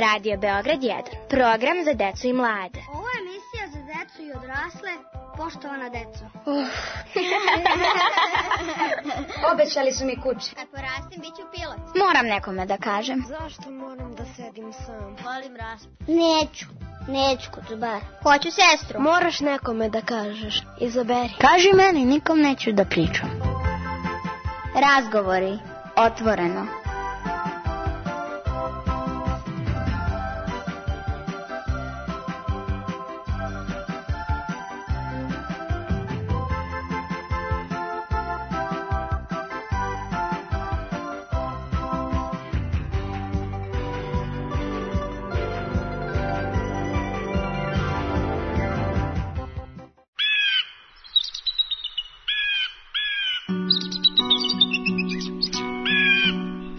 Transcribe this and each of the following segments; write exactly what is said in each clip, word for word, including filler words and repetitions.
Radio Beograd jedan, program za decu i mlade. Ovo je emisija za decu i odrasle, poštovana deco. Uh. Obećali su mi kuće. Kad porastim, bit ću pilot. Moram nekome da kažem. Zašto moram da sedim sam? Volim raspu. Neću, neću kod zubara. Hoću sestru. Moraš nekome da kažeš, izaberi. Kaži meni, nikom neću da pričam. Razgovori, otvoreno.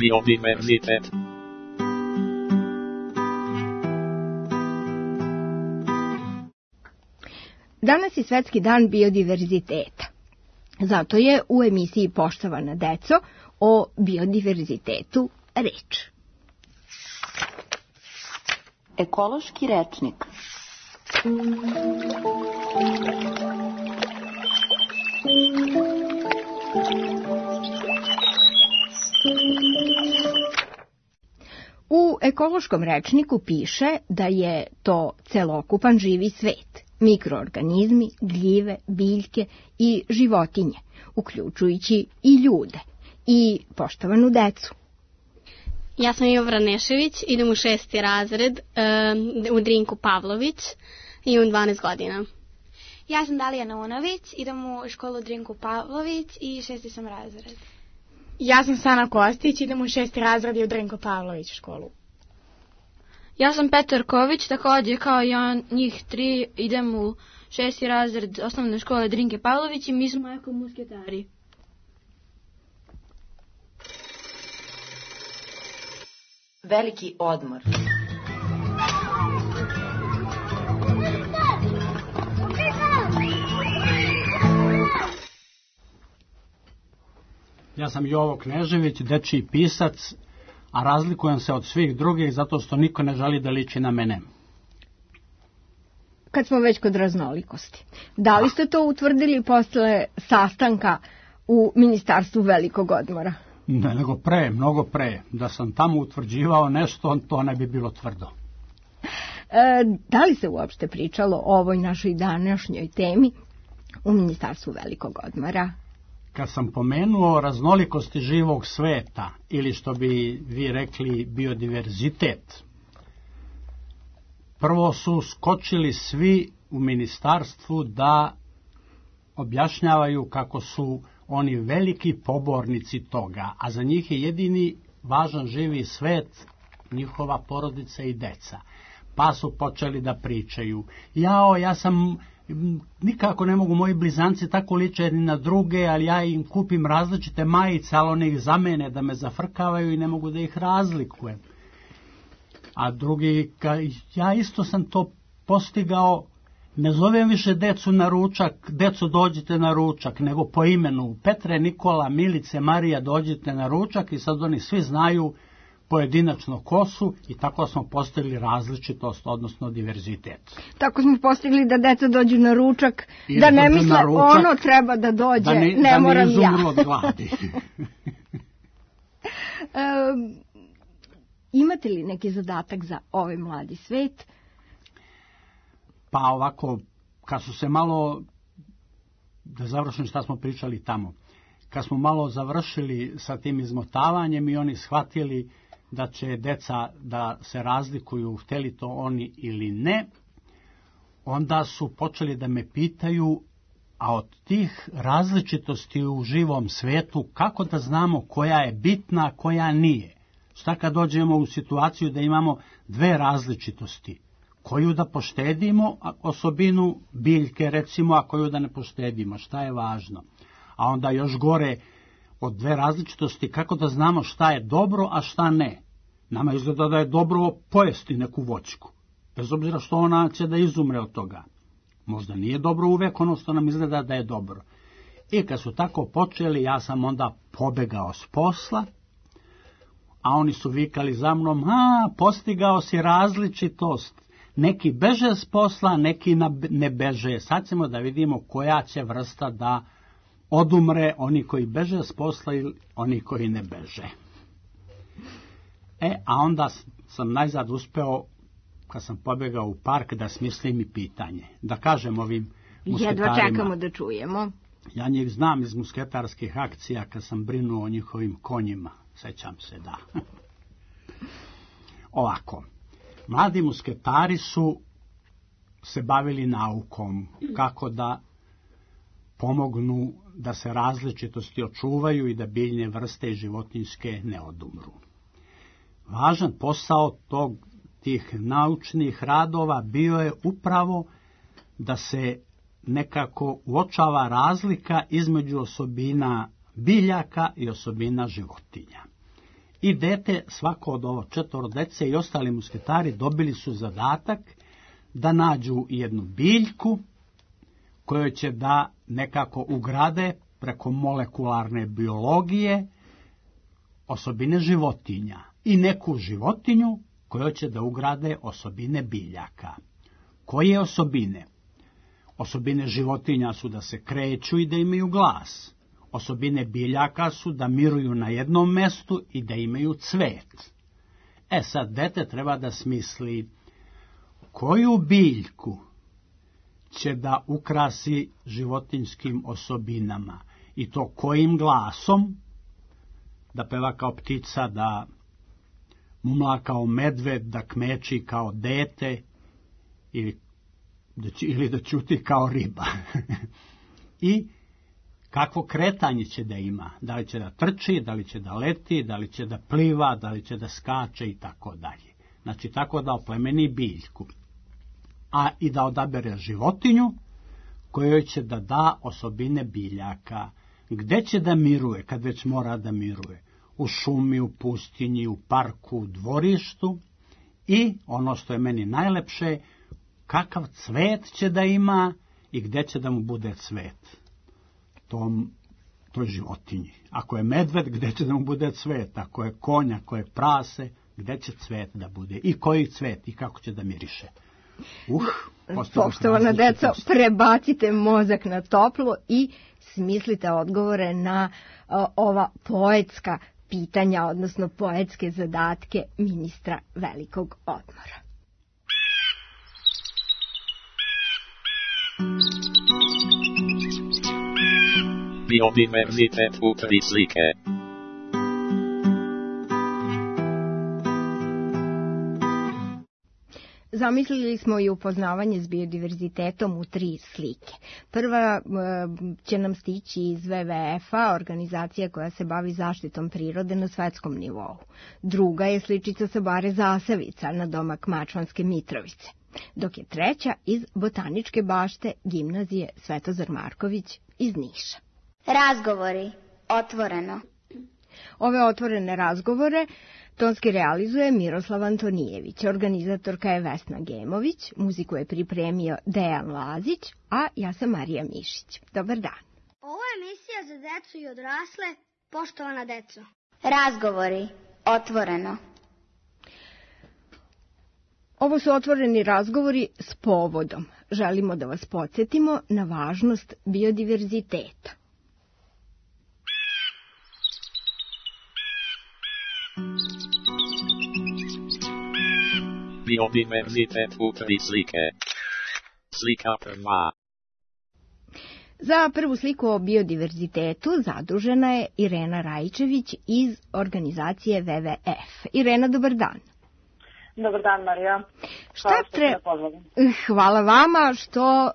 Biodiverzitet. Danas je Svetski dan biodiverziteta. Zato je u emisiji Poštovana deco o biodiverzitetu reč. Ekološki rečnik. U ekološkom rečniku piše da je to celokupan živi svet, mikroorganizmi, gljive, biljke i životinje, uključujući i ljude i poštovanu decu. Ja sam Jovra Nešević, idem u šesti razred um, u Drinku Pavlović i imam dvanaest godina. Ja sam Dalija Naunović, idem u školu Drinku Pavlović i šesti sam razred. Ja sam Sana Kostić, idem u šesti razred i u Drinko Pavlović školu. Ja sam Petar Ković, također kao i on, njih tri, idem u šesti razred osnovne škole Drinke Pavlović i mi smo eko musketari. Veliki odmor. Ja sam Jovo Knežević, dečiji pisac, a razlikujem se od svih drugih zato što niko ne želi da liči na mene. Kad smo već kod raznolikosti, da li ste to utvrdili posle sastanka u Ministarstvu velikog odmora? Ne, nego pre, mnogo pre. Da sam tamo utvrđivao nešto, to ne bi bilo tvrdo. E, da li se uopšte pričalo o ovoj našoj današnjoj temi u Ministarstvu velikog odmora? Kad sam pomenuo raznolikosti živog sveta, ili što bi vi rekli biodiverzitet, prvo su skočili svi u ministarstvu da objašnjavaju kako su oni veliki pobornici toga, a za njih je jedini važan živi svet njihova porodica i deca. Pa su počeli da pričaju, jao, ja sam... nikako ne mogu moji blizanci tako liče ni na druge, ali ja im kupim različite majice, ali one ih zamene da me zafrkavaju i ne mogu da ih razlikujem. A drugi, ja isto sam to postigao, ne zovem više decu na ručak, deco dođite na ručak, nego po imenu, Petre, Nikola, Milice, Marija, dođite na ručak i sad oni svi znaju pojedinačno ko su i tako smo postigli različitost, odnosno diverzitet. Tako smo postigli da deca dođu na ručak, I da ne misle ručak, ono treba da dođe, da ne, ne da moram ne ja. od gladi. um, imate li neki zadatak za ovaj mladi svet? Pa ovako, kad su se malo, da završim šta smo pričali tamo, kad smo malo završili sa tim izmotavanjem i oni shvatili da će deca da se razlikuju, hteli to oni ili ne, onda su počeli da me pitaju, a od tih različitosti u živom svetu, kako da znamo koja je bitna, a koja nije? Šta kad dođemo u situaciju da imamo dve različitosti? Koju da poštedimo, osobinu biljke recimo, a koju da ne poštedimo? Šta je važno? A onda još gore od dve različitosti, kako da znamo šta je dobro, a šta ne. Nama izgleda da je dobro pojesti neku voćku, bez obzira što ona će da izumre od toga. Možda nije dobro uvek ono što nam izgleda da je dobro. I kad su tako počeli, ja sam onda pobegao s posla, a oni su vikali za mnom, a, postigao si različitost. Neki beže s posla, neki ne beže. Sad ćemo da vidimo koja će vrsta da odumre, oni koji beže s posla ili oni koji ne beže. E, a onda sam najzad uspeo, kad sam pobegao u park, da smislim i pitanje. Da kažem ovim musketarima. Jedva čekamo da čujemo. Ja njih znam iz musketarskih akcija, kad sam brinuo o njihovim konjima. Sećam se, da. Ovako. Mladi musketari su se bavili naukom, kako da pomognu da se različitosti očuvaju i da biljne vrste i životinjske ne odumru. Važan posao tog, tih naučnih radova bio je upravo da se nekako uočava razlika između osobina biljaka i osobina životinja. I dete, svako od ovo četvoro dece i ostali musketari dobili su zadatak da nađu jednu biljku koju će da nekako ugrade preko molekularne biologije osobine životinja i neku životinju koju će da ugrade osobine biljaka. Koje osobine? Osobine životinja su da se kreću i da imaju glas. Osobine biljaka su da miruju na jednom mestu i da imaju cvet. E sad, dete treba da smisli koju biljku će da ukrasi životinjskim osobinama i to kojim glasom, da peva kao ptica, da mumla kao medved, da kmeči kao dete ili da, ili da ćuti kao riba. I kakvo kretanje će da ima, da li će da trči, da li će da leti, da li će da pliva, da li će da skače i tako dalje. Znači tako da oplemeni biljku. A i da odabere životinju kojoj će da da osobine biljaka. Gde će da miruje, kad već mora da miruje? U šumi, u pustinji, u parku, u dvorištu. I ono što je meni najlepše, kakav cvet će da ima i gde će da mu bude cvet. Tom, toj životinji. Ako je medved, gde će da mu bude cvet? Ako je konj, ako je prase, gde će cvet da bude? I koji cvet i kako će da miriše? Uh, Poštovana deco, prebacite mozak na toplo i smislite odgovore na uh, ova poetska pitanja, odnosno poetske zadatke ministra velikog odmora. Biodiverzitet u tri slike. Zamislili smo i upoznavanje s biodiverzitetom u tri slike. Prva će nam stići iz ve ve efa, organizacija koja se bavi zaštitom prirode na svetskom nivou. Druga je sličica sa Bare Zasavica na domak Mačvanske Mitrovice. Dok je treća iz Botaničke bašte gimnazije Svetozar Marković iz Niša. Razgovori. Otvoreno. Ove otvorene razgovore tonski realizuje Miroslav Antonijević, organizatorka je Vesna Gemović, muziku je pripremio Dejan Lazić, a ja sam Marija Mišić. Dobar dan. Ovo je emisija za decu i odrasle, poštovana deco. Razgovori. Otvoreno. Ovo su otvoreni razgovori s povodom. Želimo da vas podsjetimo na važnost biodiverziteta. Biodiverzitet u tri slike. Slika prva. Za prvu sliku o biodiverzitetu zadužena je Irena Rajčević iz organizacije ve ve ef. Irena, dobar dan. Dobar dan, Marija. Šta tre... Hvala vama što uh,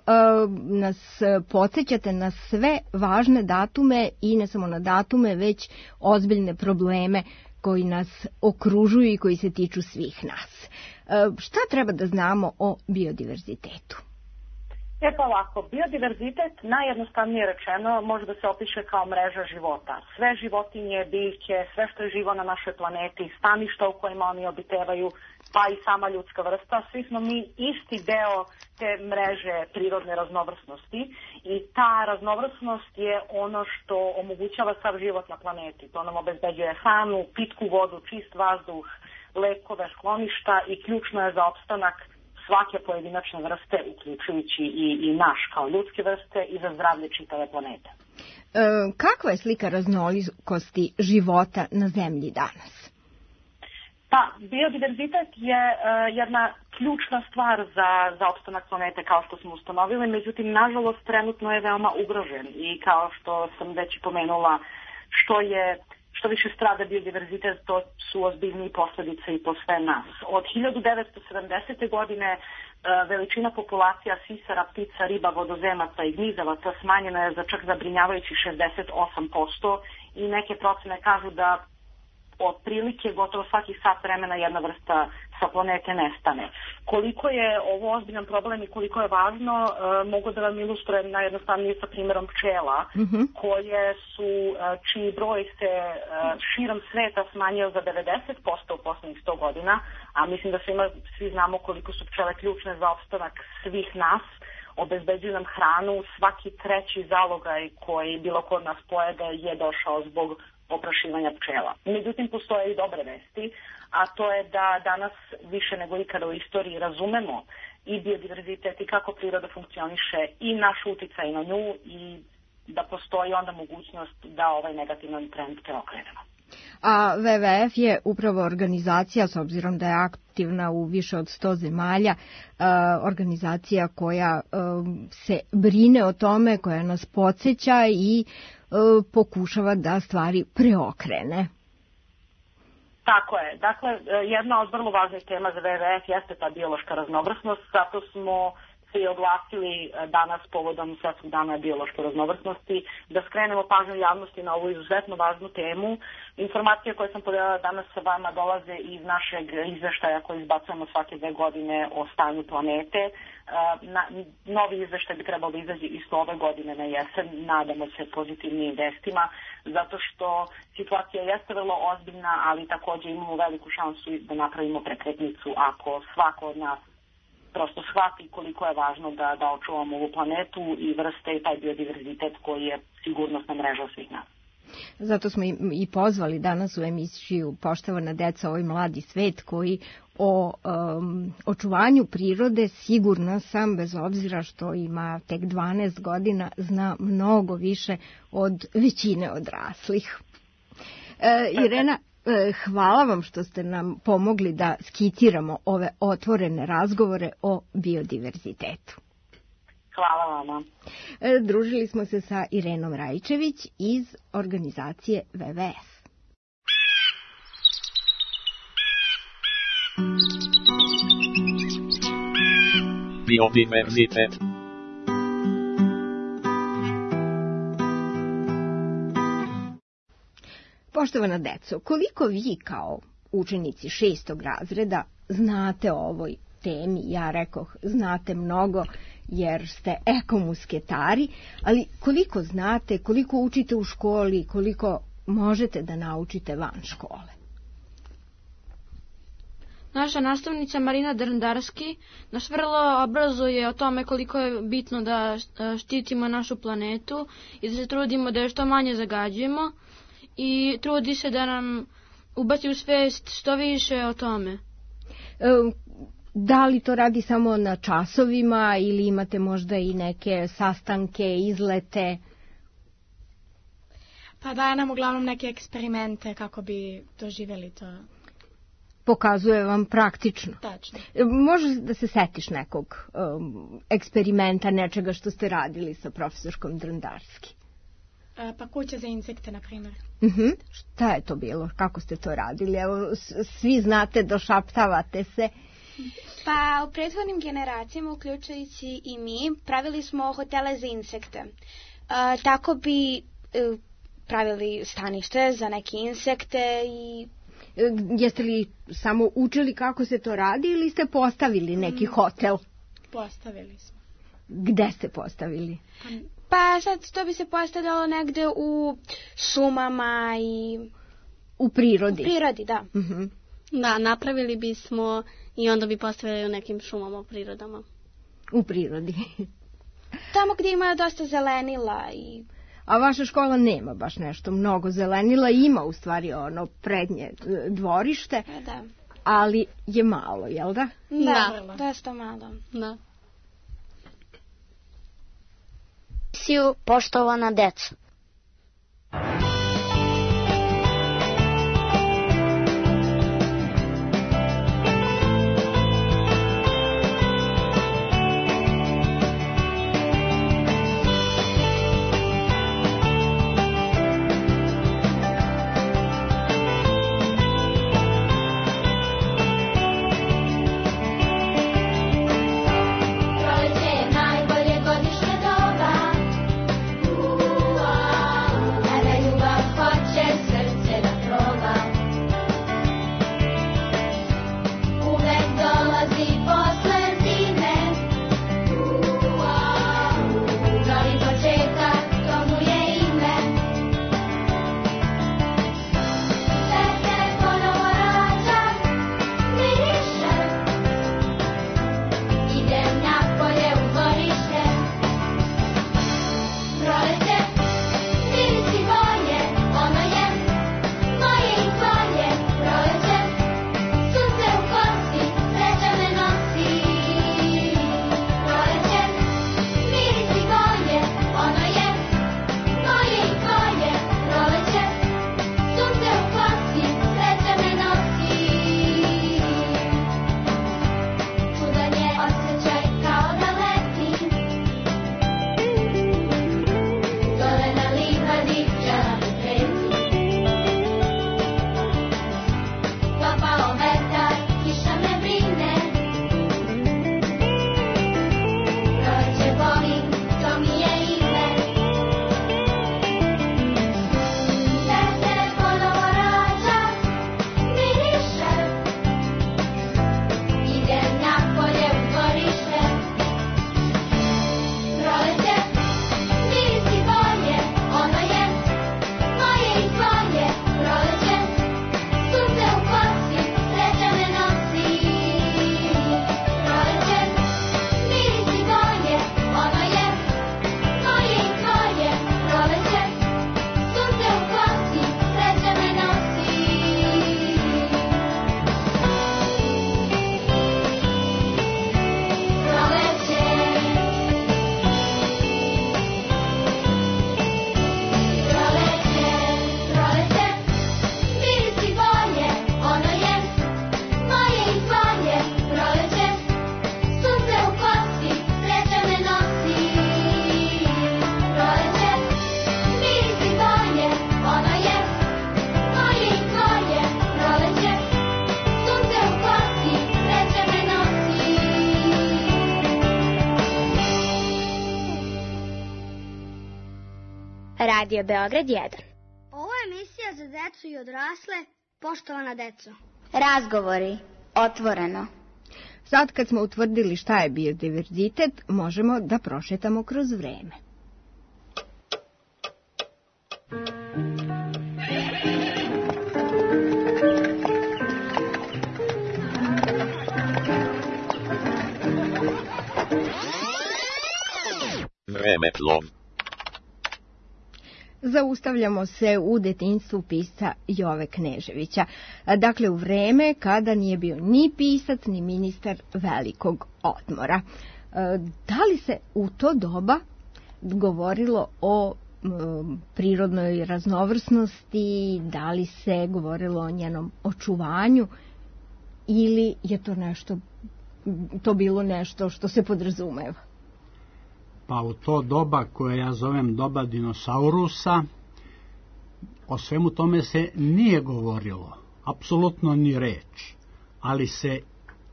nas podsjećate na sve važne datume i ne samo na datume, već ozbiljne probleme koji nas okružuju i koji se tiču svih nas. Uh, šta treba da znamo o biodiverzitetu? E pa ovako, biodiverzitet, najjednostavnije rečeno, može da se opiše kao mreža života. Sve životinje, biljke, sve što je živo na našoj planeti, staništa u kojima oni obitevaju, pa i sama ljudska vrsta, svi smo mi isti deo te mreže prirodne raznovrsnosti i ta raznovrsnost je ono što omogućava sav život na planeti. To nam obezbeđuje hranu, pitku vodu, čist vazduh, lekove, skloništa i ključno je za opstanak svake pojedinačne vrste, uključujući i, i naš kao ljudske vrste i za zdravlje čitave planete. E, kakva je slika raznolikosti života na Zemlji danas? Pa, biodiverzitet je uh, jedna ključna stvar za, za opstanak planete, kao što smo ustanovili, međutim, nažalost, trenutno je veoma ugrožen i kao što sam već pomenula, što je što više strada biodiverzitet, to su ozbiljnije posljedice i po sve nas. Od hiljadu devetsto sedamdesete. godine uh, veličina populacija sisara, ptica, riba, vodozemaca i gnizavaca smanjena je za čak zabrinjavajući šezdeset osam posto i neke procene kažu da otprilike gotovo svaki sat vremena jedna vrsta sa planete nestane. Koliko je ovo ozbiljan problem i koliko je važno, e, mogu da vam ilustrujem najjednostavnije sa primjerom pčela, mm-hmm. koje su, e, čiji broj se e, širom sveta smanjio za devedeset posto u poslednjih sto godina, a mislim da svima, svi znamo koliko su pčele ključne za opstanak svih nas, obezbeđuju nam hranu, svaki treći zalogaj koji bilo kod nas pojede je došao zbog oprašivanja pčela. Međutim, postoje i dobre vesti, a to je da danas više nego ikada u istoriji razumemo i biodiverzitet i kako priroda funkcioniše i naš uticaj na nju i da postoji onda mogućnost da ovaj negativan trend preokrenemo. A W W F je upravo organizacija, s obzirom da je aktivna u više od sto zemalja, organizacija koja se brine o tome, koja nas podsjeća i pokušava da stvari preokrene. Tako je. Dakle, jedna od vrlo važnih tema za W W F jeste ta biološka raznovrsnost, zato smo se i oglasili danas povodom Svetskog dana biološke raznovrsnosti, da skrenemo pažnju javnosti na ovu izuzetno važnu temu. Informacije koje sam podelila danas sa vama dolaze iz našeg izveštaja koji izbacujemo svake dve godine o stanju planete. Na, novi izveštaj bi trebalo da izađe isto ove godine na jesen, nadamo se pozitivnim vestima, zato što situacija jeste vrlo ozbiljna, ali također imamo veliku šansu da napravimo prekretnicu ako svako od nas prosto shvati koliko je važno da, da očuvamo ovu planetu i vrste i taj biodiverzitet koji je sigurnosna mreža svih nas. Zato smo i pozvali danas u emisiju Poštovana deca, ovaj mladi svet koji o um, očuvanju prirode, sigurna sam, bez obzira što ima tek dvanaest godina, zna mnogo više od većine odraslih. E, Irena, hvala vam što ste nam pomogli da skiciramo ove otvorene razgovore o biodiverzitetu. Hvala vama. Družili smo se sa Irenom Rajčević iz organizacije W W F. Biodiverzitet. Poštovana deco, koliko vi kao učenici šestog razreda znate o ovoj temi? Ja rekoh, znate mnogo jer ste ekomusketari, ali koliko znate, koliko učite u školi, koliko možete da naučite van škole? Naša nastavnica Marina Drndarski nas vrlo obrazuje o tome koliko je bitno da štitimo našu planetu i da se trudimo da je što manje zagađujemo i trudi se da nam ubaci u svest što više o tome. E, da li to radi samo na časovima ili imate možda i neke sastanke, izlete? Pa daje nam uglavnom neke eksperimente kako bi doživjeli to. Pokazuje vam praktično. Tačno. Može da se setiš nekog um, eksperimenta, nečega što ste radili sa profesorskom Drndarski? E, pa kuća za insekte, na primjer. Uh-huh. Šta je to bilo? Kako ste to radili? Evo, svi znate, došaptavate se. Pa u prethodnim generacijama, uključujući i mi, pravili smo hotele za insekte. E, tako bi e, pravili stanište za neke insekte i... Jeste li samo učili kako se to radi ili ste postavili neki hotel? Postavili smo. Gde ste postavili? Pa sad to bi se postavljalo negde u šumama i... U prirodi? U prirodi, da. Uh-huh. Da, napravili bismo i onda bi postavili u nekim šumama, u prirodama. U prirodi. Tamo gdje ima dosta zelenila i... A vaša škola nema baš nešto mnogo zelenila, ima u stvari ono prednje dvorište, da. Ali je malo, jel da? Da, da, dosta malo. Da. Siju, poštovana deco. Radio Beograd jedan. Ovo je emisija za decu i odrasle, poštovana deco. Razgovori, otvoreno. Sad kad smo utvrdili šta je biodiverzitet, možemo da prošetamo kroz vreme. Vremeplov. Zaustavljamo se u detinjstvu pisca Jove Kneževića. Dakle, u vreme kada nije bio ni pisac, ni ministar velikog odmora. Da li se u to doba govorilo o prirodnoj raznovrsnosti, da li se govorilo o njenom očuvanju ili je to nešto, to bilo nešto što se podrazumeva? Pa u to doba koje ja zovem doba dinosaurusa, o svemu tome se nije govorilo, apsolutno ni reč, ali se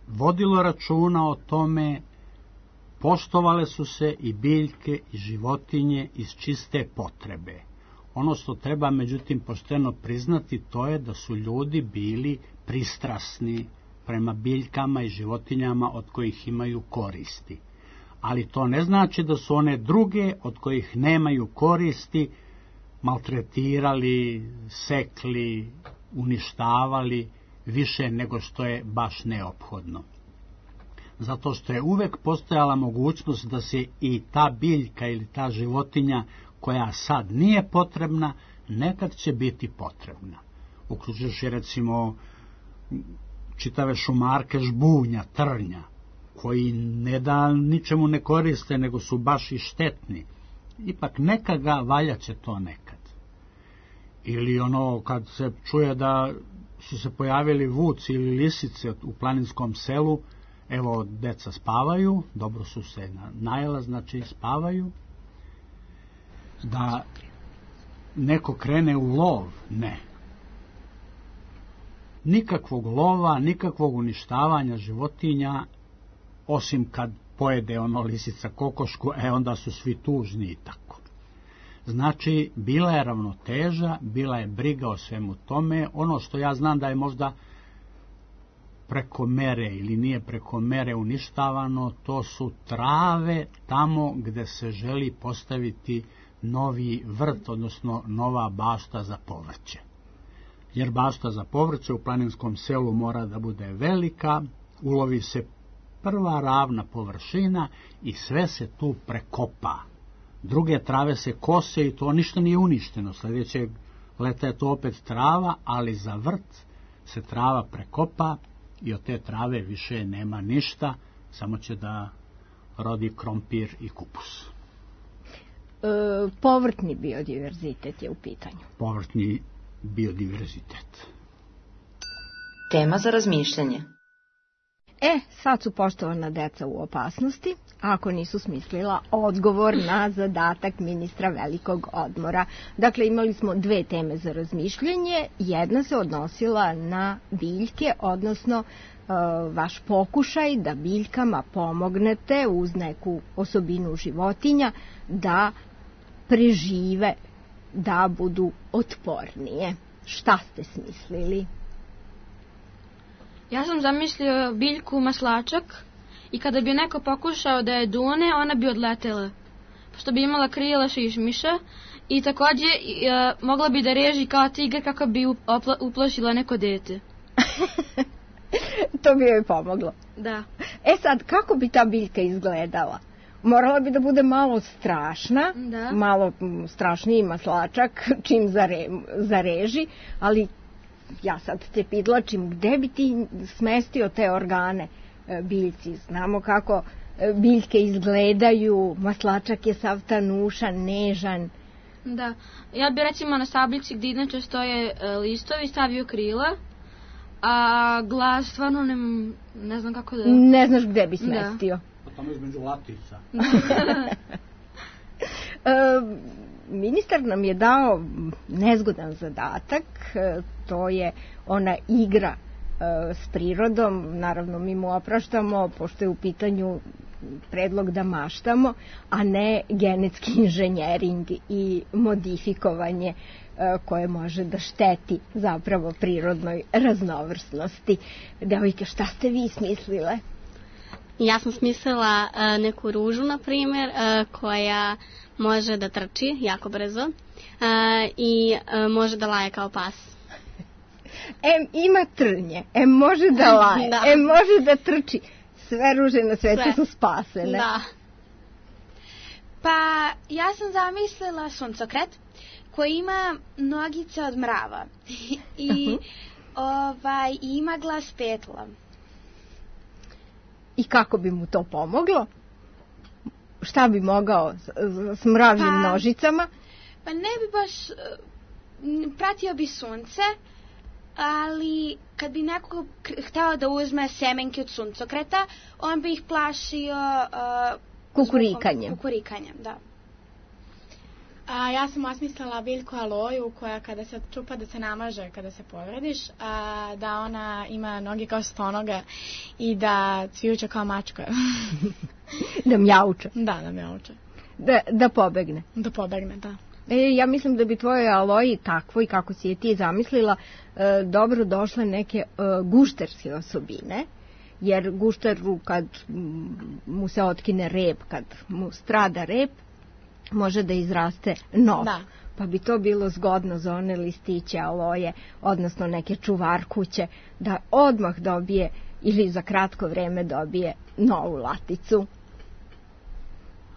vodilo računa o tome, poštovale su se i biljke i životinje iz čiste potrebe. Ono što treba međutim pošteno priznati, to je da su ljudi bili pristrasni prema biljkama i životinjama od kojih imaju koristi. ali to ne znači da su one druge od kojih nemaju koristi maltretirali, sekli, uništavali više nego što je baš neophodno. Zato što je uvek postojala mogućnost da se i ta biljka ili ta životinja koja sad nije potrebna, nekad će biti potrebna. Uključujući recimo čitave šumarke žbunja, trnja, koji ne da ničemu ne koriste, nego su baš i štetni. Ipak nekaga valjaće to nekad. Ili ono kad se čuje da su se pojavili vuci ili lisice u planinskom selu, evo deca spavaju, dobro su se najela, znači spavaju. Da neko krene u lov, ne. Nikakvog lova, nikakvog uništavanja životinja, osim kad pojede ono lisica kokošku, e onda su svi tužni i tako. Znači, bila je ravnoteža, bila je briga o svemu tome. Ono što ja znam da je možda preko mere ili nije preko mere uništavano, to su trave tamo gde se želi postaviti novi vrt, odnosno nova bašta za povrće. Jer bašta za povrće u planinskom selu mora da bude velika, ulovi se prva ravna površina i sve se tu prekopa. Druge trave se kose i to ništa nije uništeno. Sljedećeg leta je to opet trava, ali za vrt se trava prekopa i od te trave više nema ništa, samo će da rodi krompir i kupus. E, povrtni biodiverzitet je u pitanju. Povrtni biodiverzitet. Tema za razmišljanje. E, sad su poštovana deca u opasnosti, ako nisu smislila odgovor na zadatak ministra velikog odmora. Dakle, imali smo dve teme za razmišljanje. Jedna se odnosila na biljke, odnosno e, vaš pokušaj da biljkama pomognete uz neku osobinu životinja da prežive, da budu otpornije. Šta ste smislili? Ja sam zamislio biljku maslačak i kada bi neko pokušao da je dune, ona bi odletela. Pošto bi imala krila šišmiša i takođe e, mogla bi da reži kao tigar kako bi upla, uplašila neko dete. To bi joj pomoglo. Da. E sad, kako bi ta biljka izgledala? Morala bi da bude malo strašna, da. Malo strašniji maslačak čim zare, zareži, ali ja sad te pidlačim, gde bi ti smestio te organe biljci? Znamo kako biljke izgledaju, maslačak je sav tanušan, nežan. Da, ja bi recimo na sablici gdje inače stoje listovi stavio krila, a glas stvarno ne, ne znam kako da... Ne znaš gde bi smestio. Da. Pa tamo između latica. e, Ministar nam je dao nezgodan zadatak, to je ona igra e, s prirodom, naravno mi mu opraštamo, pošto je u pitanju predlog da maštamo, a ne genetski inženjering i modifikovanje e, koje može da šteti zapravo prirodnoj raznovrsnosti. Devojke, šta ste vi smislile? Ja sam smislila uh, neku ružu, na primjer, uh, koja može da trči jako brzo uh, i uh, može da laje kao pas. Em ima trnje, em može da laje, da. Em može da trči. Sve ruže na svetu Sve. su spasene. Da. Pa ja sam zamislila suncokret koji ima nogice od mrava i ovaj, ima glas petla. I kako bi mu to pomoglo? Šta bi mogao s, s mravljim pa, nožicama? Pa ne bi baš, pratio bi sunce, ali kad bi neko hteo da uzme semenke od suncokreta, on bi ih plašio uh, kukurikanjem. Kukurikanjem, da. A, ja sam osmislila biljku aloju koja kada se čupa da se namaže kada se povrediš, a, da ona ima noge kao stonoga i da cvijuće kao mačka. Da mjauče. Da, da mjauče. Da, da pobegne. Da pobegne, da. E, ja mislim da bi tvojoj aloji takvo i kako si je ti zamislila e, dobro došle neke e, gušterske osobine jer gušteru kad mu se otkine rep, kad mu strada rep, može da izraste nov. Da. Pa bi to bilo zgodno za one listiće aloje, odnosno neke čuvarkuće, da odmah dobije ili za kratko vreme dobije novu laticu.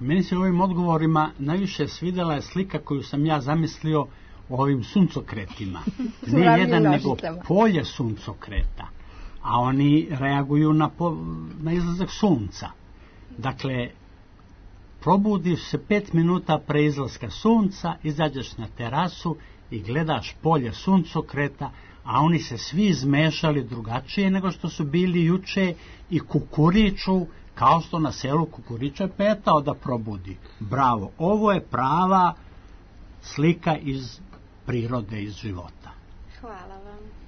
Meni se u ovim odgovorima najviše svidela je slika koju sam ja zamislio o ovim suncokretima. Ne jedan, nego polje suncokreta. A oni reaguju na, po, na izlazak sunca. Dakle, probudiš se pet minuta pre izlaska sunca, izađeš na terasu i gledaš polje suncokreta, a oni se svi izmešali drugačije nego što su bili juče i kukuriču, kao što na selu kukuriča petao da probudi. Bravo, ovo je prava slika iz prirode, iz života. Hvala vam.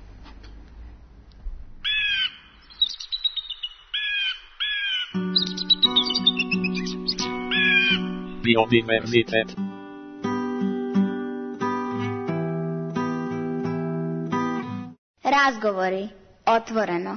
Biodiverzitet. Razgovori. Otvoreno.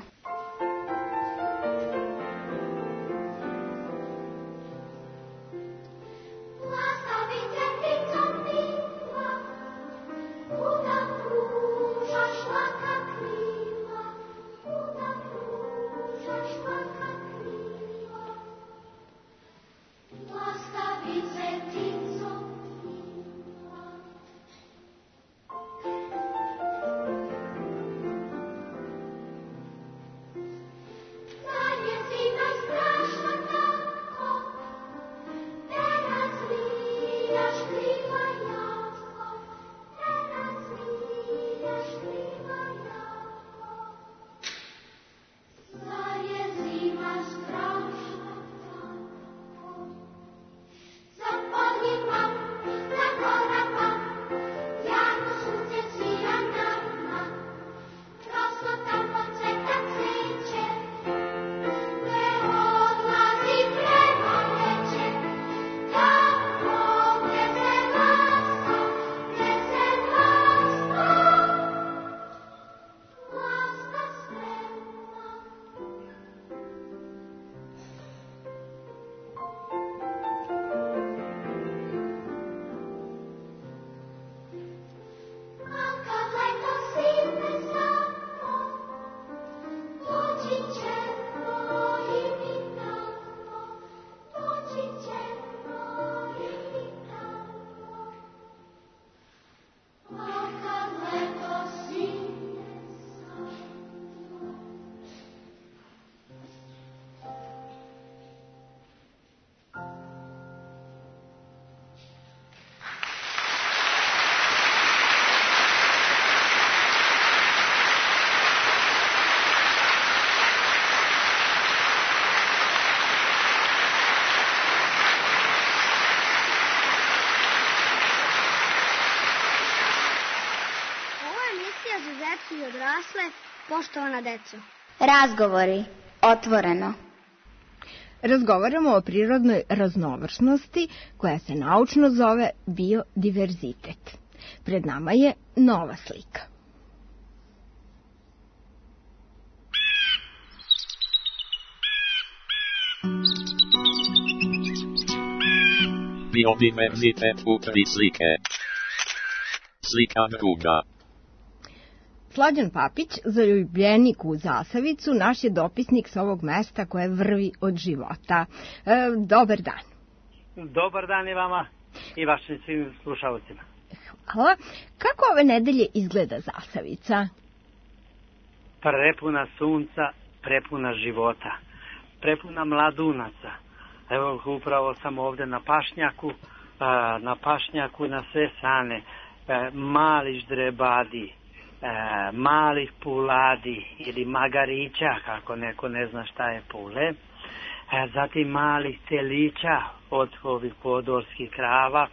I odrasle, poštovana deco. Razgovori. Otvoreno. Razgovaramo o prirodnoj raznovrsnosti koja se naučno zove biodiverzitet. Pred nama je nova slika. Biodiverzitet u tri slike. Slika druga. Slađan Papić, zaljubljenik u Zasavicu, naš je dopisnik s ovog mesta koje vrvi od života. E, dobar dan. Dobar dan i vama i vašim svim slušalcima. Hvala. Kako ove nedelje izgleda Zasavica? Prepuna sunca, prepuna života, prepuna mladunaca. Evo, upravo sam ovde na pašnjaku, na pašnjaku na sve strane, mali ždrebadi, E, malih puladi ili magarića, kako neko ne zna šta je pule, e, zatim malih telića od ovih podorskih krava,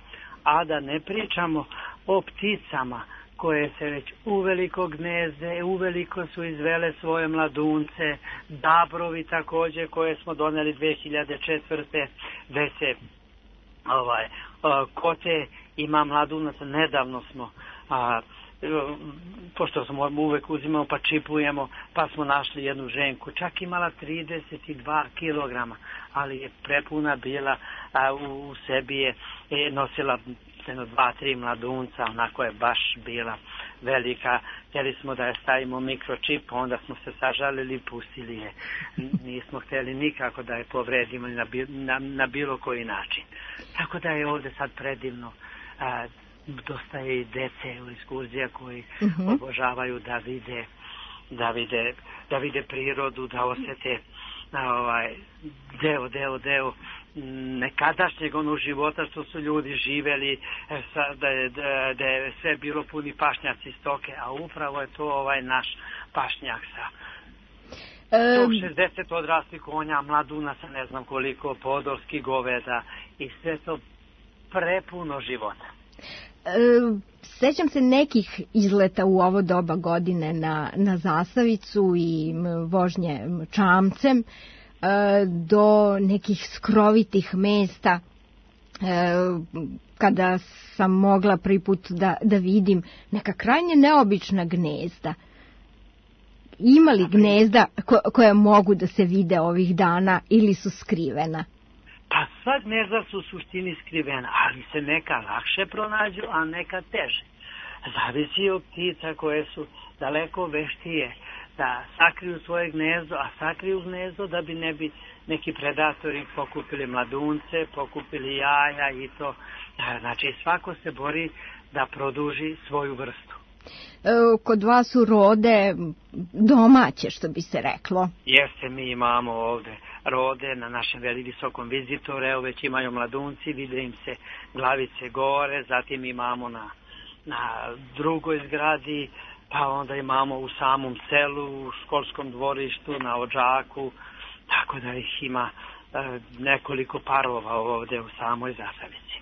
a da ne pričamo o pticama koje se već uveliko gnezde, uveliko su izvele svoje mladunce, dabrovi takođe koje smo doneli dve hiljade četvrte gde se ovaj, kote ima mladunaca, nedavno smo a, pošto smo uvek uzimamo pa čipujemo, pa smo našli jednu ženku, čak imala trideset dva kilograma, ali je prepuna bila, a u, u sebi je, je nosila jedno dva, tri mladunca, onako je baš bila velika. Htjeli smo da je stavimo mikročip, onda smo se sažalili i pustili je. Nismo htjeli nikako da je povredimo na, na, na bilo koji način. Tako da je ovdje sad predivno. A, dosta je i dece u ekskurzija koji uh-huh. obožavaju da vide, da vide, da vide prirodu, da osjete ovaj, deo, deo, deo nekadašnjeg onog života što su ljudi živeli, da je, da je sve bilo puni pašnjaci stoke, a upravo je to ovaj naš pašnjak sa um, šezdeset odraslih konja, mladunaca, ne znam koliko, podolskih goveda i sve to prepuno života. E, sećam se nekih izleta u ovo doba godine na, na Zasavicu i vožnje čamcem, do nekih skrovitih mesta kada sam mogla prvi put da, da vidim neka krajnje neobična gnezda. Ima li gnezda ko, koja mogu da se vide ovih dana ili su skrivena? Pa sva gnezda su u suštini skrivena, ali se neka lakše pronađu, a neka teže. Zavisi od ptica koje su daleko veštije da sakriju svoje gnezdo, a sakriju gnezdo da bi ne bi neki predatori pokupili mladunce, pokupili jaja i to. Znači svako se bori da produži svoju vrstu. E, kod vas su rode domaće, što bi se reklo. Jeste, mi imamo ovde rode na našem veli visokom vizitoru, evo već imaju mladunci, vide im se glavice gore, zatim imamo na, na drugoj zgradi, pa onda imamo u samom selu, u školskom dvorištu, na Odžaku, tako da ih ima e, nekoliko parova ovdje u samoj Zasavici.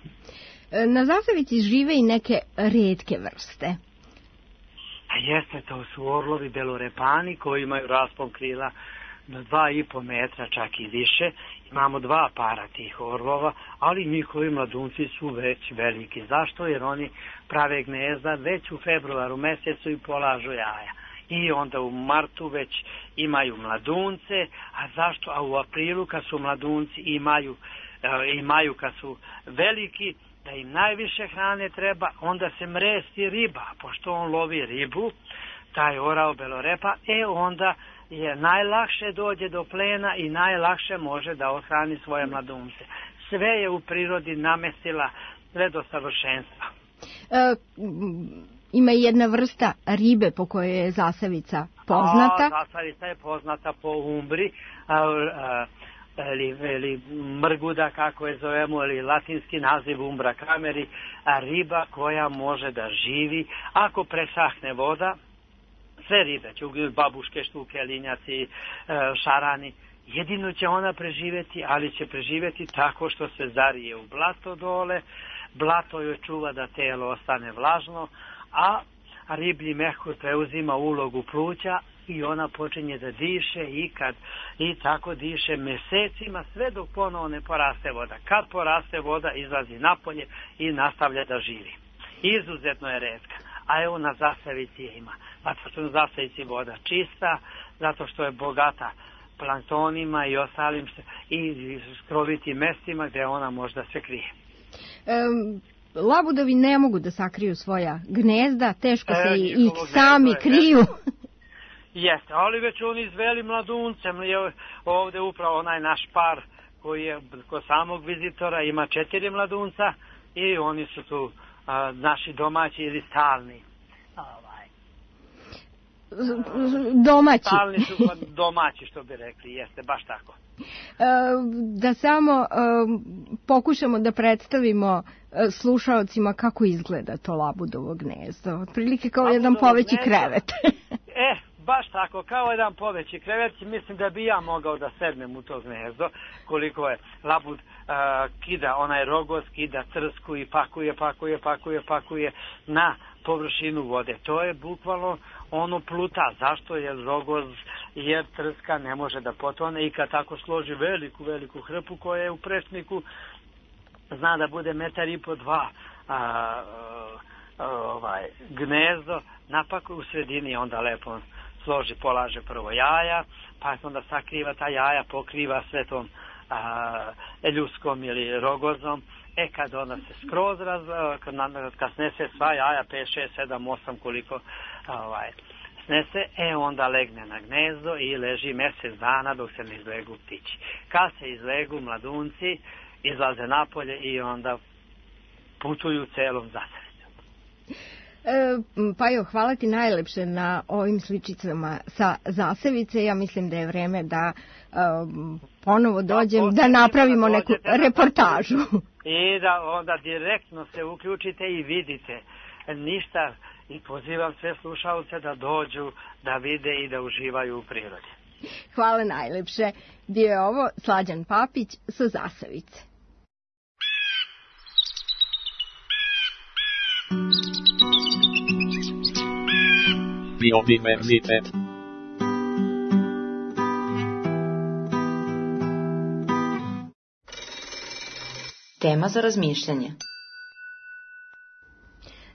E, na Zasavici žive i neke retke vrste. A jeste, to su orlovi belorepani koji imaju raspon krila do dva i po metra, čak i više. Imamo dva para tih orlova, ali njihovi mladunci su već veliki. Zašto? Jer oni prave gnezda već u februaru mesecu i polažu jaja. I onda u martu već imaju mladunce, a zašto? A u aprilu kad su mladunci imaju, e, imaju kad su veliki, da im najviše hrane treba, onda se mresti riba, pošto on lovi ribu, taj orao belorepa, e onda je najlakše dođe do plena i najlakše može da ohrani svoje mladunce. Sve je u prirodi namestila sve do savršenstva. E, ima jedna vrsta ribe po kojoj je Zasavica poznata. A, Zasavica je poznata po umbri, a, a, ili, ili mrguda, kako je zovemo, ili latinski naziv umbra kameri, a riba koja može da živi ako presahne voda. Sve ribe, čugi, babuške, štuke, linjaci, šarani, jedino će ona preživjeti, ali će preživjeti tako što se zarije u blato dole, blato joj čuva da telo ostane vlažno, a riblji mehur preuzima ulogu pluća i ona počinje da diše i, kad, i tako diše mesecima sve dok ponovo ne poraste voda. Kad poraste voda izlazi napolje i nastavlja da živi. Izuzetno je retka. A evo na Zasavici je ima. Zato što na Zasavici voda čista, zato što je bogata planktonima i ostalim i skrovitim mestima gdje ona možda se krije. Um, labudovi ne mogu da sakriju svoja gnezda, teško se e, ih sami je, kriju. Jeste, ali već oni izveli mladuncem. Ovdje upravo onaj naš par koji je kod samog vizitora ima četiri mladunca i oni su tu a, naši domaći ili stalni. Ovaj. Domaći. Stalni su domaći, što bi rekli, jeste, baš tako. Da samo pokušamo da predstavimo slušaocima kako izgleda to labudovo gnezdo. Otprilike kao labudovo jedan poveći gnezdo. Krevet. E, baš tako, kao jedan poveći krevet. Mislim da bi ja mogao da sednem u to gnezdo. Koliko je labud uh, kida onaj rogoz, kida trsku i pakuje, pakuje, pakuje, pakuje na površinu vode. To je bukvalno ono pluta. Zašto? Jer rogoz, jer trska ne može da potone i kad tako složi veliku, veliku hrpu koja je u prečniku, zna da bude metar i po dva a, ovaj, gnezdo, napak u sredini onda lepo složi, polaže prvo jaja, pa onda sakriva ta jaja, pokriva sve tom a, ljuskom ili rogozom. E kad ona se skroz raz, kad, kad snese sva jaja, pet, šest, sedam, osam koliko ovaj, snese, e onda legne na gnezdo i leži mjesec dana dok se ne izlegu ptići. Kad se izlegu mladunci, izlaze napolje i onda putuju celom zasavicom. E, Pajo, hvala ti najlepše na ovim sličicama sa zasavice. Ja mislim da je vreme da e, ponovo dođem, da napravimo neku reportažu. I da onda direktno se uključite i vidite. Ništa, i pozivam sve slušalce da dođu, da vide i da uživaju u prirodi. Hvala najlepše. Bio je ovo Slađan Papić sa Zasavice. Biodiverzitet. Tema za razmišljanje.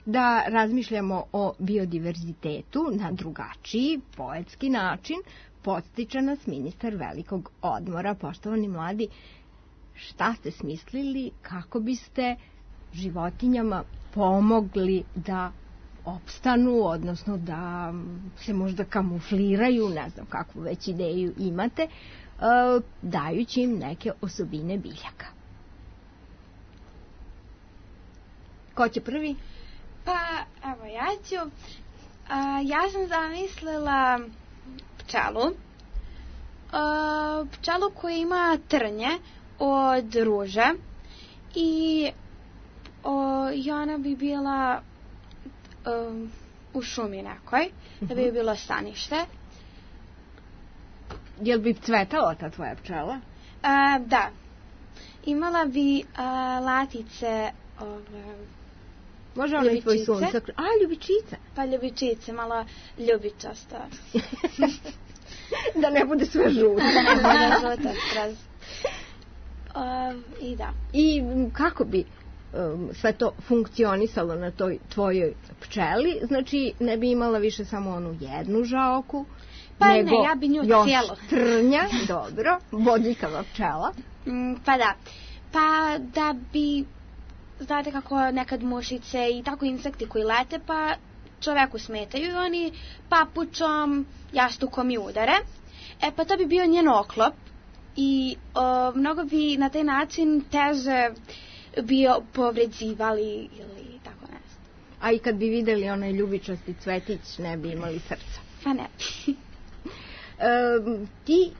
Da razmišljamo o biodiverzitetu na drugačiji, poetski način, podstiče nas ministar velikog odmora. Poštovani mladi, šta ste smislili kako biste životinjama pomogli da opstanu, odnosno da se možda kamufliraju, ne znam kakvu već ideju imate, dajući im neke osobine biljaka? Ko će prvi? Pa, evo ja ću. A, ja sam zamislila pčelu. A, pčelu koja ima trnje od ruže i, o, i ona bi bila a, u šumi nekoj, da bi bilo stanište. Jel bi cvetala ta tvoja pčela? A, da. Imala bi a, latice ove... Može ona i tvoj sunce? A, ljubičice. Pa ljubičice, malo ljubičasto. Da ne bude sve žuto. Da ne bude žuto skroz. Uh, I da. I kako bi um, sve to funkcionisalo na toj tvojoj pčeli? Znači, ne bi imala više samo onu jednu žaoku, pa nego ne, ja bi nju još cijelo. trnja, dobro, bodljikava pčela. Mm, pa da. Pa da bi... Znate kako nekad mušice i tako insekti koji lete, pa čoveku smetaju i oni papučom, jastukom i udare. E pa to bi bio njen oklop i o, mnogo bi na taj način teže bio povređivali ili tako nešto. A i kad bi videli onaj ljubičasti cvetić, ne bi imali srca. Pa ne. e, ti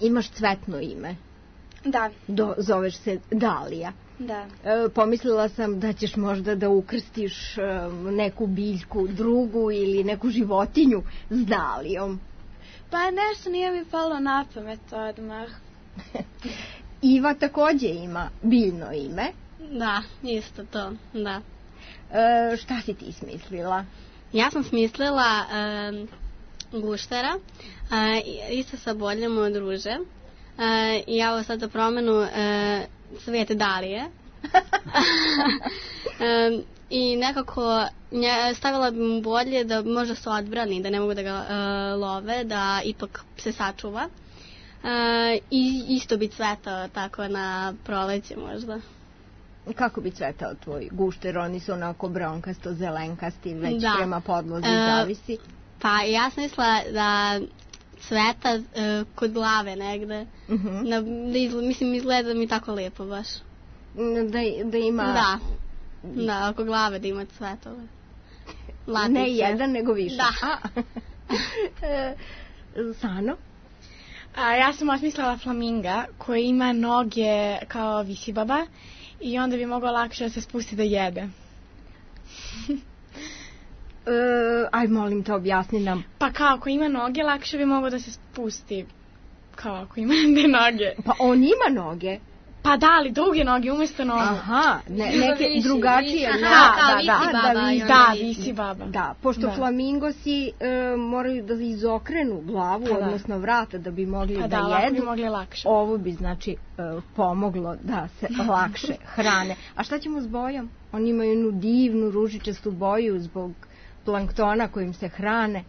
imaš cvetno ime. Da. Do, zoveš se Dalija. Da. E, pomislila sam da ćeš možda da ukrstiš e, neku biljku drugu ili neku životinju s Dalijom. Pa nešto nije mi palo na pamet odmah. Iva takođe ima biljno ime. Da, isto to, da. E, šta si ti smislila? Ja sam smislila e, guštera, e, isto sa boljom od ruže. E, I ja ovo sad za promenu e, Svete Dalije. e, I nekako nje, stavila bi mu bolje da možda se odbrani, da ne mogu da ga e, love, da ipak se sačuva. E, I isto bi cvetao tako na proleće možda. Kako bi cvetao tvoj gušter? Oni su onako bronkasto, zelenkasti, već da. Prema podlozi e, zavisi. Pa ja sam mislila da cveta e, kod glave negde. Uh-huh. Na, da izgled, mislim, izgleda mi tako lijepo baš. Da, da ima... Da, da, oko glave da ima cvetove. Latice. Ne jedan, nego više. Da. e, Sano? A, ja sam osmislila flaminga koji ima noge kao visibaba i onda bi mogao lakše da se spusti da jede. Uh, aj, molim te, objasni nam. Pa kao, ako ima noge, lakše bi mogao da se spusti. Kao, ako ima ne noge. Pa on ima noge. Pa da, ali druge noge umjesto nogu. Aha, ne, neke visi, drugačije. visi. Da, Aha, da, visi da, baba da, i visi. onda Da, visi. visi baba. Da, pošto Da. flamingosi e, moraju da izokrenu glavu, Pa da. odnosno vrata da bi mogli Pa da, da, lako jedu. bi mogli lakše. Ovo bi znači e, pomoglo da se lakše hrane. A šta ćemo s bojom? Oni imaju jednu divnu ružičastu boju zbog planktona kojim se hrane.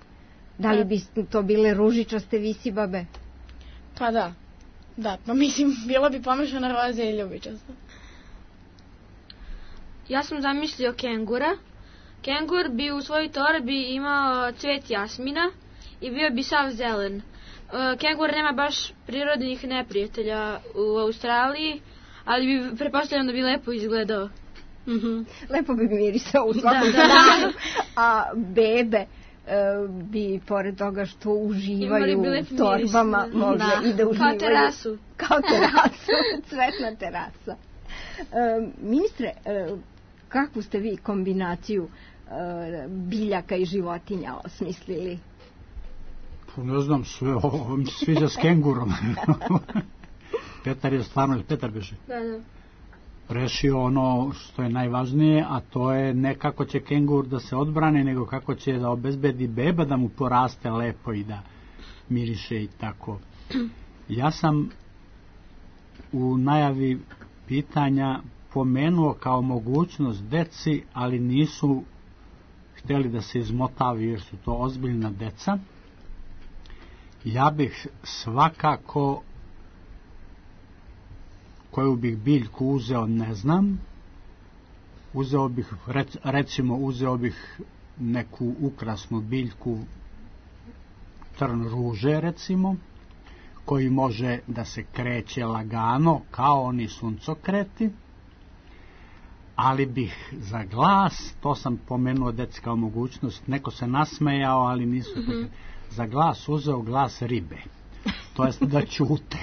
Da li bi to bile ružičaste visibabe? Pa da. Da, pa mislim, bilo bi pomešano roze i ljubičasto. Ja sam zamislio kengura. Kengur bi u svojoj torbi imao cvet jasmina i bio bi sav zelen. E, Kengur nema baš prirodnih neprijatelja u Australiji, ali bi, pretpostavljam da bi lepo izgledao. Mm-hmm. Lepo bi mirisao u svakom da, da, da. A bebe bi, pored toga što uživaju u torbama, mogle da. i da uživaju. Kao terasu. Kao terasu, cvetna terasa. E, ministre, e, kakvu ste vi kombinaciju e, biljaka i životinja osmislili? Ne znam, sve ovo mi se sviđa s kengurom. Petar je stvarno, Petar beže. Da, da. Rešio ono što je najvažnije, a to je ne kako će kengur da se odbrane, nego kako će da obezbedi beba da mu poraste lepo i da miriše i tako. Ja sam u najavi pitanja pomenuo kao mogućnost deci, ali nisu htjeli da se izmotavi jer su to ozbiljna deca. Ja bih svakako koju bih biljku uzeo, ne znam. Uzeo bih, recimo, uzeo bih neku ukrasnu biljku, trn ruže, recimo, koji može da se kreće lagano, kao oni suncokreti, ali bih za glas, to sam pomenuo deci kao mogućnost, neko se nasmejao, ali nisu mm-hmm. za glas uzeo glas ribe, to jest da ćute.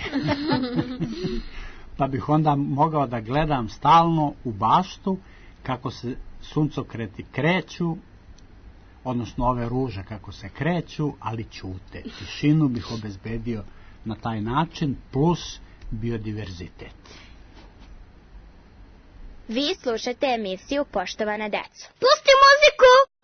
Pa bih onda mogao da gledam stalno u baštu kako se suncokreti kreću, odnosno ove ruže kako se kreću, ali ćute. Tišinu bih obezbedio na taj način, plus biodiverzitet. Vi slušate emisiju Poštovana deco. Pusti muziku!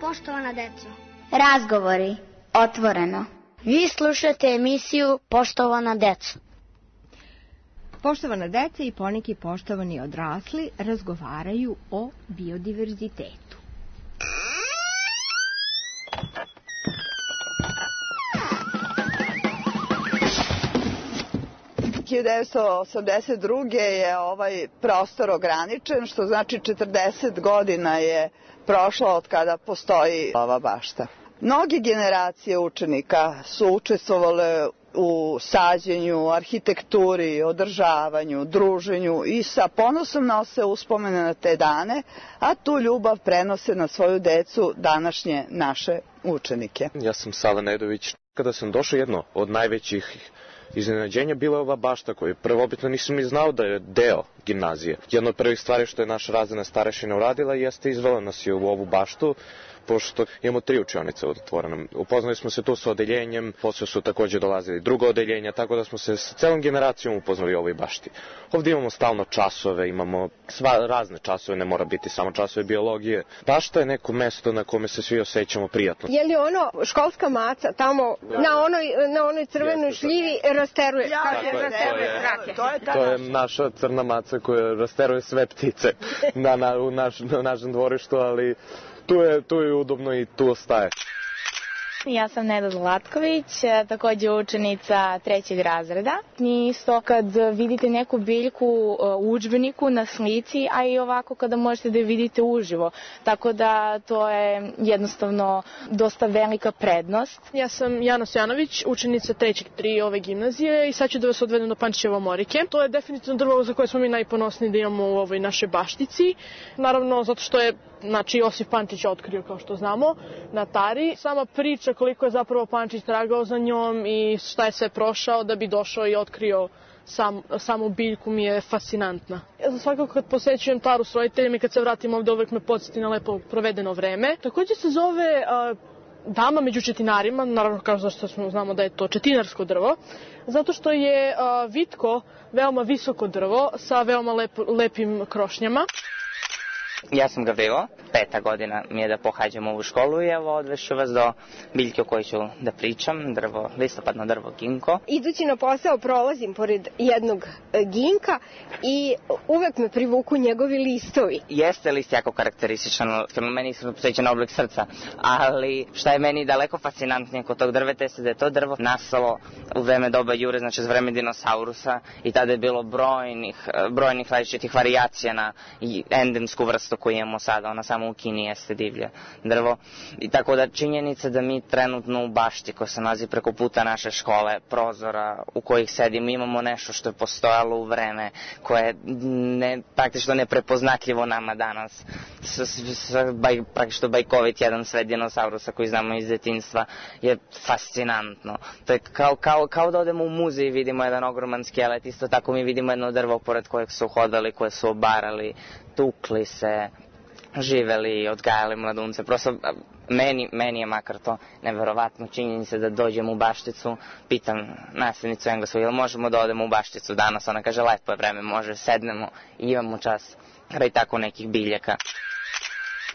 Poštovana deco. Razgovori otvoreno. Vi slušate emisiju Poštovana deco. Poštovana deca i poneki poštovani odrasli razgovaraju o biodiverzitetu. hiljadu devetsto osamdeset druge je ovaj prostor ograničen, što znači četrdeset godina je prošlo od kada postoji ova bašta. Mnoge generacije učenika su učestvovale u sađenju, arhitekturi, održavanju, druženju i sa ponosom nose uspomene na te dane, a tu ljubav prenose na svoju decu današnje naše učenike. Ja sam Sava Nedović. Kada sam došao, jedno od najvećih iznenađenja bila je ova bašta koju prvobitno nisam ni znao da je deo gimnazije. Jedna od prvih stvari što je naša razredna starešina uradila jeste izvela nas je u ovu baštu, pošto imamo tri učionice otvorene. Upoznali smo se tu sa odeljenjem, posle su takođe dolazili druga odeljenja, tako da smo se sa celom generacijom upoznali u ovoj bašti. Ovdje imamo stalno časove, imamo sva razne časove, ne mora biti samo časove biologije. Bašta je neko mesto na kome se svi osjećamo prijatno. Je li ono školska maca tamo na onoj, na onoj crvenoj šljivi rasteruje? Ja, kaže, je, rasteruje to je, to je, to je naša crna maca koja rasteruje sve ptice na, na, u naš, na našem dvorištu, ali tu je, tu je udobno i tu ostaje. Ja sam Neda Zlatković, takođe učenica trećeg razreda. Mi isto kad vidite neku biljku u udžbeniku na slici, a i ovako kada možete da je vidite uživo. Tako da to je jednostavno dosta velika prednost. Ja sam Jana Stojanović, učenica trećeg tri ove gimnazije i sad ću da vas odvedem do Pančićeve omorike. To je definitivno drvo za koje smo mi najponosniji da imamo u ovoj našoj baštici. Naravno, zato što je znači Josif Pančić otkrio, kao što znamo, na Tari. Sama priča koliko je zapravo Pančić tragao za njom i šta je sve prošao da bi došao i otkrio sam, samu biljku mi je fascinantna. Ja sam svakako kad posećujem Taru s roditeljima i kad se vratim ovde uvek me podsjeti na lepo provedeno vreme. Takođe se zove uh, dama među četinarima, naravno kao zašto smo znamo da je to četinarsko drvo, zato što je uh, vitko veoma visoko drvo sa veoma lep, lepim krošnjama. Ja sam Gavrilo, peta godina mi je da pohađam ovu školu i evo odvešću vas do biljke o kojoj ću da pričam, drvo, listopadno drvo ginko. Idući na posao prolazim pored jednog ginka i uvek me privuku njegovi listovi. Jeste list jako karakterističan, meni su posjećan oblik srca, ali šta je meni daleko fascinantnije kod tog drveta jeste da je to drvo nastalo u vreme doba Jure, znači za vreme dinosaurusa i tada je bilo brojnih, brojnih različitih varijacija na endemsku vrstu koju imamo sada, ona samo u Kini jeste divlje drvo. I tako da činjenica da mi trenutno u bašti koja se nalazi preko puta naše škole, prozora u kojih sedimo, imamo nešto što je postojalo u vreme, koje je ne, praktično neprepoznatljivo nama danas. S, s, s, baj, praktično bajkovit jedan svet dinosaurusa koji znamo iz detinjstva je fascinantno. To je kao, kao, kao da odemo u muzej i vidimo jedan ogroman skelet, isto tako mi vidimo jedno drvo pored kojeg su hodali, koje su obarali, tukli se, živeli, odgajali mladunce. Prosto meni, meni je makar to neverovatno činjenica da dođem u bašticu, pitam nastavnicu engleskog, jel možemo da odemo u bašticu danas? Ona kaže lepo je vreme, može, sednemo i imamo čas kraj tako nekih biljaka.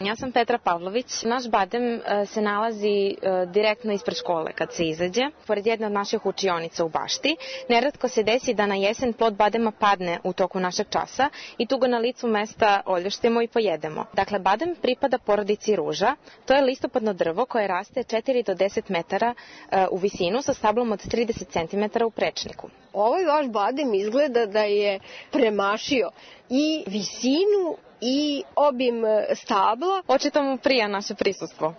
Ja sam Petra Pavlović. Naš badem se nalazi direktno ispred škole kad se izađe, pored jedne od naših učionica u bašti. Neretko se desi da na jesen plod badema padne u toku našeg časa i tu ga na licu mesta oljuštimo i pojedemo. Dakle, badem pripada porodici ruža. To je listopadno drvo koje raste četiri do deset metara u visinu sa stablom od trideset centimetara u prečniku. Ovaj vaš badem izgleda da je premašio i visinu i obim stabla. Očito mu prija naše prisustvo.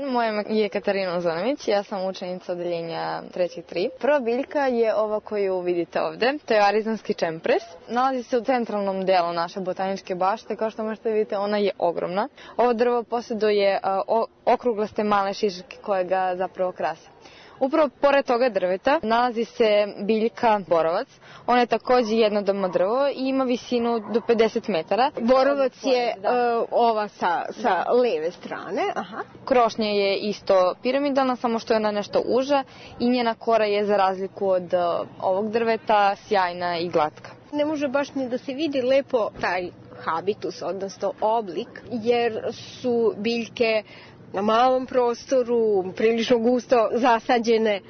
Moje ime je Katarina Zonović, ja sam učenica odeljenja trećeg tri. Prva biljka je ova koju vidite ovde, to je arizonski čempres. Nalazi se u centralnom delu naše botaničke bašte, kao što možete vidite ona je ogromna. Ovo drvo posjeduje okruglaste male šiške koje ga zapravo krase. Upravo pored toga drveta nalazi se biljka borovac. Ona je takođe jednodomno drvo i ima visinu do pedeset metara. Borovac je uh, ova sa, sa leve strane. Aha. Krošnja je isto piramidalna, samo što je ona nešto uža i njena kora je za razliku od uh, ovog drveta sjajna i glatka. Ne može baš ni da se vidi lepo taj habitus, odnosno oblik, jer su biljke na malom prostoru, prilično gusto zasađene.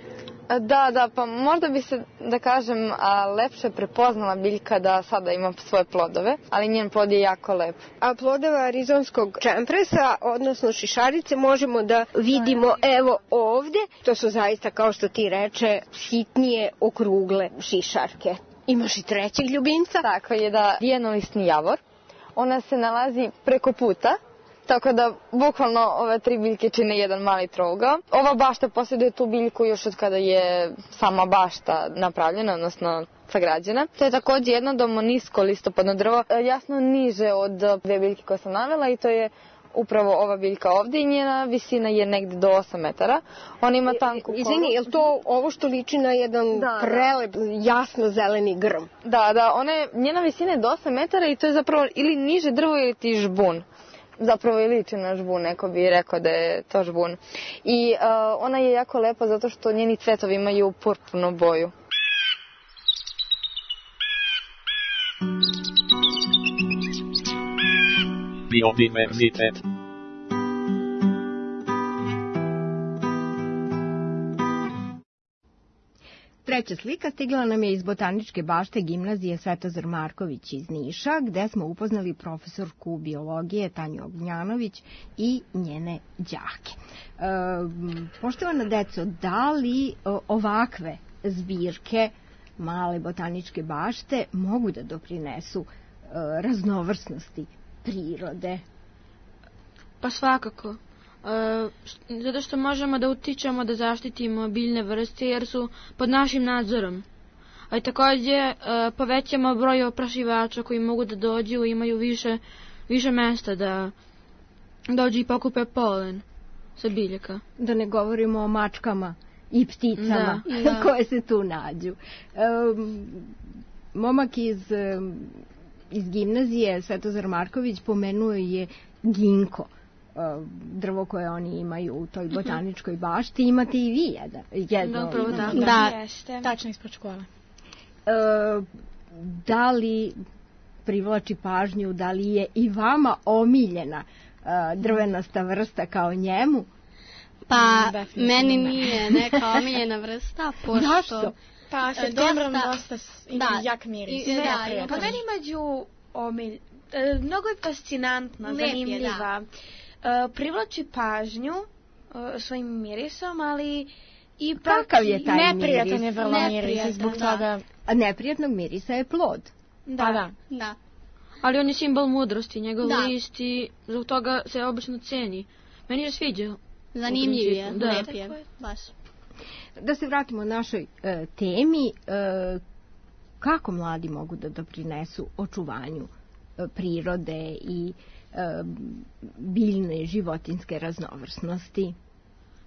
Da, da, pa možda bi se, da kažem, a, lepše prepoznala biljka da sada ima svoje plodove, ali njen plod je jako lep. A plodove arizonskog čempresa, odnosno šišarice, možemo da vidimo evo ovde. To su zaista, kao što ti reče, sitnije okrugle šišarke. Imaš i trećeg ljubimca? Tako je da vijenolistni javor. Ona se nalazi preko puta tako da bukvalno ove tri biljke čine jedan mali trougao. Ova bašta posjeduje tu biljku još od kada je sama bašta napravljena, odnosno sagrađena. To je također jednodomno nisko listopadno drvo, jasno niže od dve biljke koje sam navela i to je upravo ova biljka ovdje i njena visina je negdje do osam metara. On ima tanku koru. Izvini, je li to ovo što liči na jedan da, prelep, jasno zeleni grm? Da, da, one, njena visina je do osam metara i to je zapravo ili niže drvo ili ti žbun. Zapravo i liči na žbun, neko bi rekao da je to žbun. I uh, ona je jako lepa zato što njeni cvetovi imaju purpurnu boju. Biodiverzitet. Treća slika stigla nam je iz Botaničke bašte gimnazije Svetozar Marković iz Niša, gde smo upoznali profesorku biologije Tanju Ognjanović i njene đake. E, poštovana deco, da li ovakve zbirke male botaničke bašte mogu da doprinesu e, raznovrsnosti prirode? Pa svakako. E, zato što možemo da utičemo da zaštitimo biljne vrste jer su pod našim nadzorom. A i također e, povećamo broj oprašivača koji mogu da dođu i imaju više, više mesta da dođu i pokupe polen sa biljaka. Da ne govorimo o mačkama i pticama da, da. koje se tu nađu. E, momak iz, iz gimnazije Svetozar Marković pomenuo je ginko, drvo koje oni imaju u toj botaničkoj bašti. Imate i vi jedan, jedno. Da, upravo da. Da, jeste. Tačno ispod škole. E, da li privlači pažnju, da li je i vama omiljena e, drvenasta vrsta kao njemu? Pa, meni nije neka omiljena vrsta, pošto... Zašto? Pa, septembrom dosta ima da, jak miris. I, da, pa meni među omilj... E, mnogo je fascinantna, Lep zanimljiva. Je, Uh, privlači pažnju uh, svojim mirisom, ali i kakav je taj miris? Neprijatan je vrlo miris, zbog toga... A neprijatnog mirisa je plod. Da, pa da. da. Ali on je simbol mudrosti, njegov da. list i zbog toga se obično ceni. Meni je sviđa. Zanimljiv je, da. Lep je, baš. Da se vratimo našoj e, temi, e, kako mladi mogu da doprinesu očuvanju e, prirode i biljne životinske raznovrsnosti?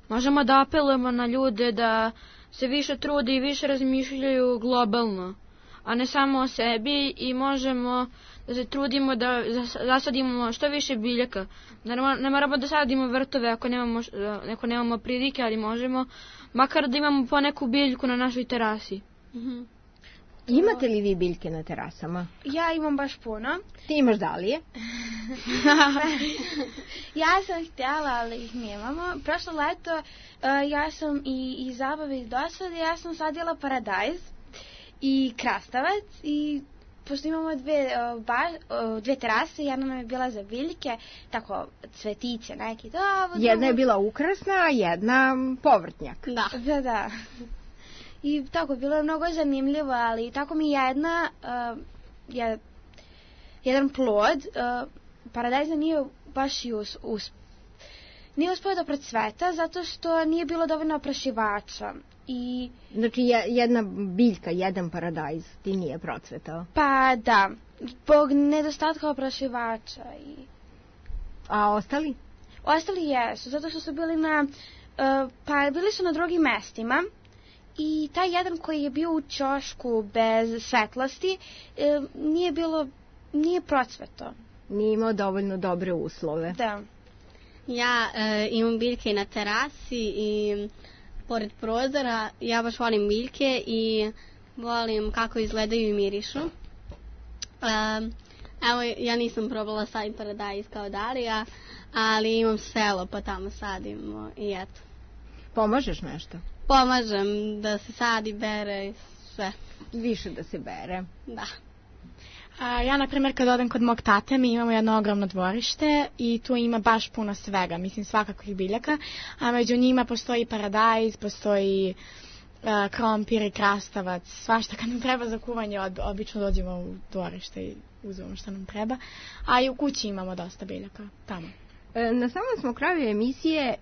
Možemo da apelujemo na ljude da se više trude i više razmišljaju globalno, a ne samo o sebi, i možemo da se trudimo da zasadimo što više biljaka. Ne moramo da sadimo vrtove ako nemamo, ako nemamo prilike, ali možemo makar da imamo po neku biljku na našoj terasi. Mhm. Imate li vi biljke na terasama? Ja imam baš puno. Ti imaš dalije? Ja sam htjela, ali ih nemamo. Prošlo leto uh, ja sam i, i zabave iz dosade, ja sam sadila paradajz i krastavac i pošto imamo dve, uh, ba, uh, dve terase, jedna nam je bila za biljke, tako cvetiće neki. Da, jedna je bila ukrasna, a jedna povrtnjak. Da, da, da. I tako, bilo je mnogo zanimljivo, ali tako mi jedna, uh, je, jedan plod, uh, paradajza nije baš i us, us, nije uspio da procveta, zato što nije bilo dovoljno oprašivača. I... Znači jedna biljka, jedan paradajz ti nije procvetao? Pa da, zbog nedostatka oprašivača. I... A ostali? Ostali jesu, zato što su bili na, uh, pa bili su na drugim mestima. I taj jedan koji je bio u ćošku bez svetlosti e, nije bilo, nije procveto. Nije imao dovoljno dobre uslove. Da. Ja e, imam biljke na terasi i pored prozora. Ja baš volim biljke i volim kako izgledaju i mirišu. E, evo, ja nisam probala saditi paradajz kao Darija, ali imam selo pa tamo sadimo i eto. Pomažeš nešto? Pomažem da se sadi, bere i sve. Više da se bere. Da. A, ja, na primjer, kad odem kod mog tate, mi imamo jedno ogromno dvorište i tu ima baš puno svega, mislim svakakvih biljaka, a među njima postoji paradajz, postoji uh, krompir i krastavac, svašta. Kad nam treba za kuvanje, ob, obično dođemo u dvorište i uzmemo što nam treba, a i u kući imamo dosta biljaka tamo. Na samom smo kraju emisije,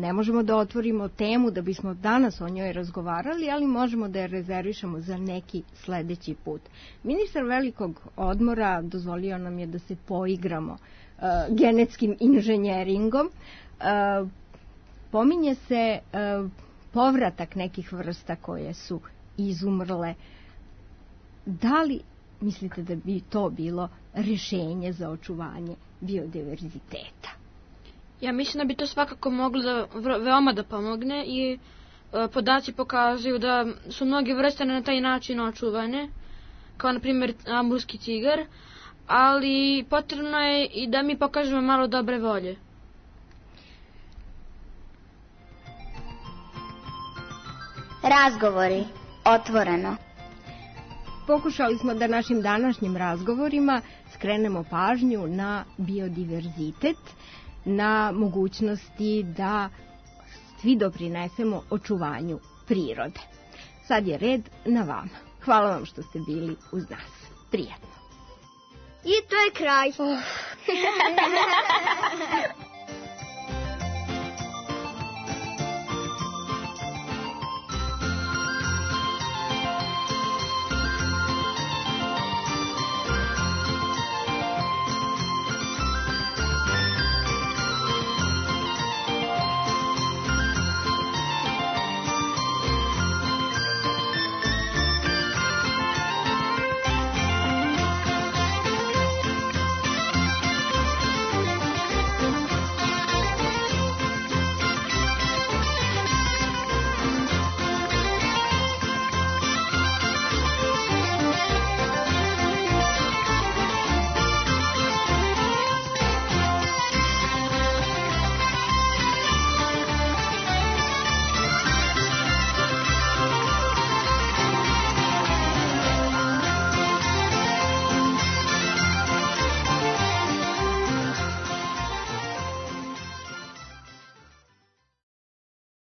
ne možemo da otvorimo temu da bismo danas o njoj razgovarali, ali možemo da je rezervišemo za neki sledeći put. Ministar velikog odmora dozvolio nam je da se poigramo uh, genetskim inženjeringom. Uh, pominje se uh, povratak nekih vrsta koje su izumrle. Da li mislite da bi to bilo rešenje za očuvanje biodiverziteta? Ja mislim da bi to svakako moglo da veoma da pomogne i e, podaci pokazuju da su mnoge vrste na taj način očuvane, kao na primjer amburski tigar, ali potrebno je i da mi pokažemo malo dobre volje. Razgovori otvoreno. Pokušali smo da našim današnjim razgovorima skrenemo pažnju na biodiverzitet, na mogućnosti da svi doprinesemo očuvanju prirode. Sad je red na vama. Hvala vam što ste bili uz nas. Prijatno. I to je kraj.